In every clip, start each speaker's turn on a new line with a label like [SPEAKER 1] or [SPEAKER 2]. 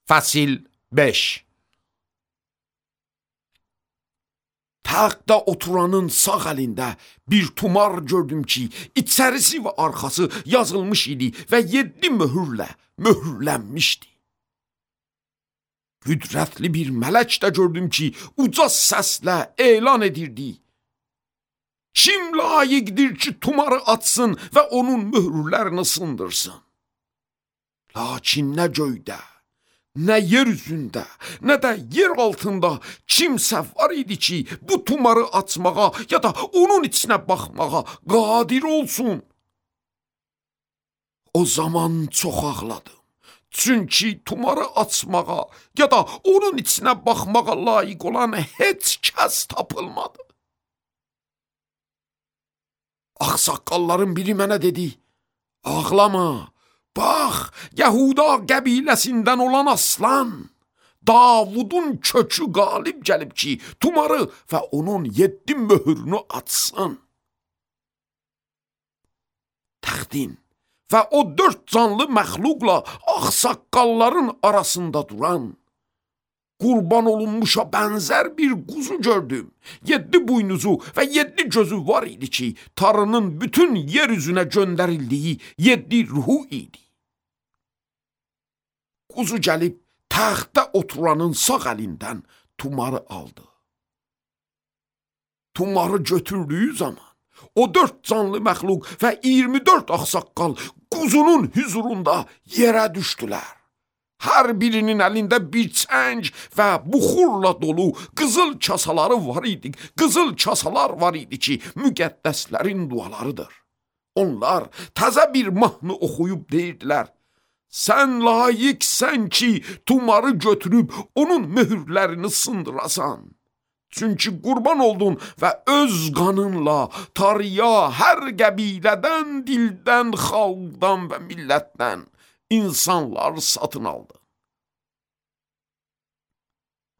[SPEAKER 1] Fəsil 5. Taxtda oturanın sağ əlində bir tumar gördüm ki, içərisi və arxası yazılmış idi və 7 möhürlə möhürlənmişdi. Qüdrətli bir mələk də gördüm ki, uca səslə elan edirdi. Kim layiqdir ki, tumarı açsın və onun möhürlərini sındırsın? Lakin nə göydə, nə yer üzündə, nə də yer altında kimsə var idi ki, bu tumarı açmağa ya da onun içinə baxmağa qadir olsun. O zaman çox ağladım. Çünki tumarı açmağa ya da onun içinə baxmağa layiq olan heç kəs tapılmadı. Ağsaqqalların biri mənə dedi, ağlama, bax, Yahuda qəbiləsindən olan aslan, Davudun kökü qalib gəlib ki, tumarı və onun 7 möhürünü açsın. Təxtin və o 4 canlı məxluqla ağsaqqalların arasında duran, qurban olunmuşa bənzər bir quzu gördüm. 7 buynuzu və 7 gözü var idi ki, Tanrının bütün yer üzünə göndərildiyi 7 ruhu idi. Quzu gəlib taxtda oturanın sağ əlindən tumarı aldı. Tumarı götürdüyü zaman o 4 canlı məxluq və 24 ağsaqqal quzunun hüzurunda yerə düşdülər. Hər birinin əlində bir çəng və buxurla dolu qızıl kasaları var idi. Qızıl kasalar var idi ki, müqəddəslərin dualarıdır. Onlar təzə bir mahnı oxuyub deyirdilər. Sən layiqsən ki, tumarı götürüb onun möhürlərini sındırasan. Çünki qurban oldun və öz qanınla tarıya hər qəbilədən, dildən, xalqdan və millətdən insanları satın aldı.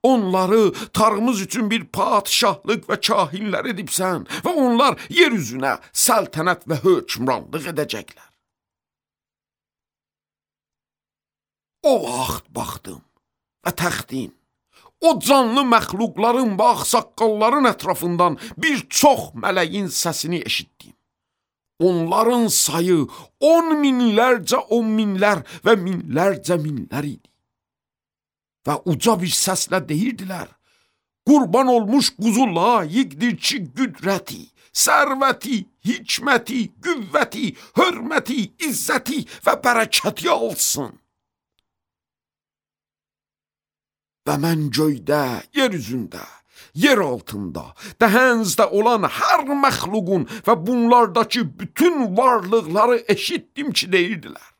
[SPEAKER 1] Onları tarımız üçün bir padişahlıq və kahinlər edibsən və onlar yer üzünə səltənət və hökmranlıq edəcəklər. O vaxt baxdım və təxtin, o canlı məxluqların və ağsaqqalların ətrafından bir çox mələyin səsini eşitdim. Onların sayı 10 minlərcə 10 minlər və minlərcə minlər idi. Və uca bir səslə deyirdilər, qurban olmuş quzu layiqdir ki, qüdrəti, sərvəti, hikməti, qüvvəti, hörməti, izzəti və bərəkəti alsın. Və mən göydə, yer üzündə, yer altında, dəhənzdə olan hər məxluqun və bunlardakı bütün varlıqları eşitdim ki, deyirdilər.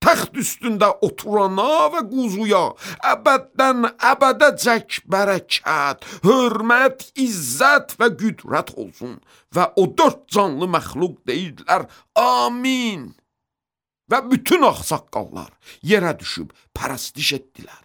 [SPEAKER 1] Təxt üstündə oturana və quzuya əbəddən əbədəcək bərəkət, hörmət, izzət və qüdrət olsun. Və o 4 canlı məxluq deyirdilər, amin. Və bütün ağsaqqallar yerə düşüb pərəstiş etdilər.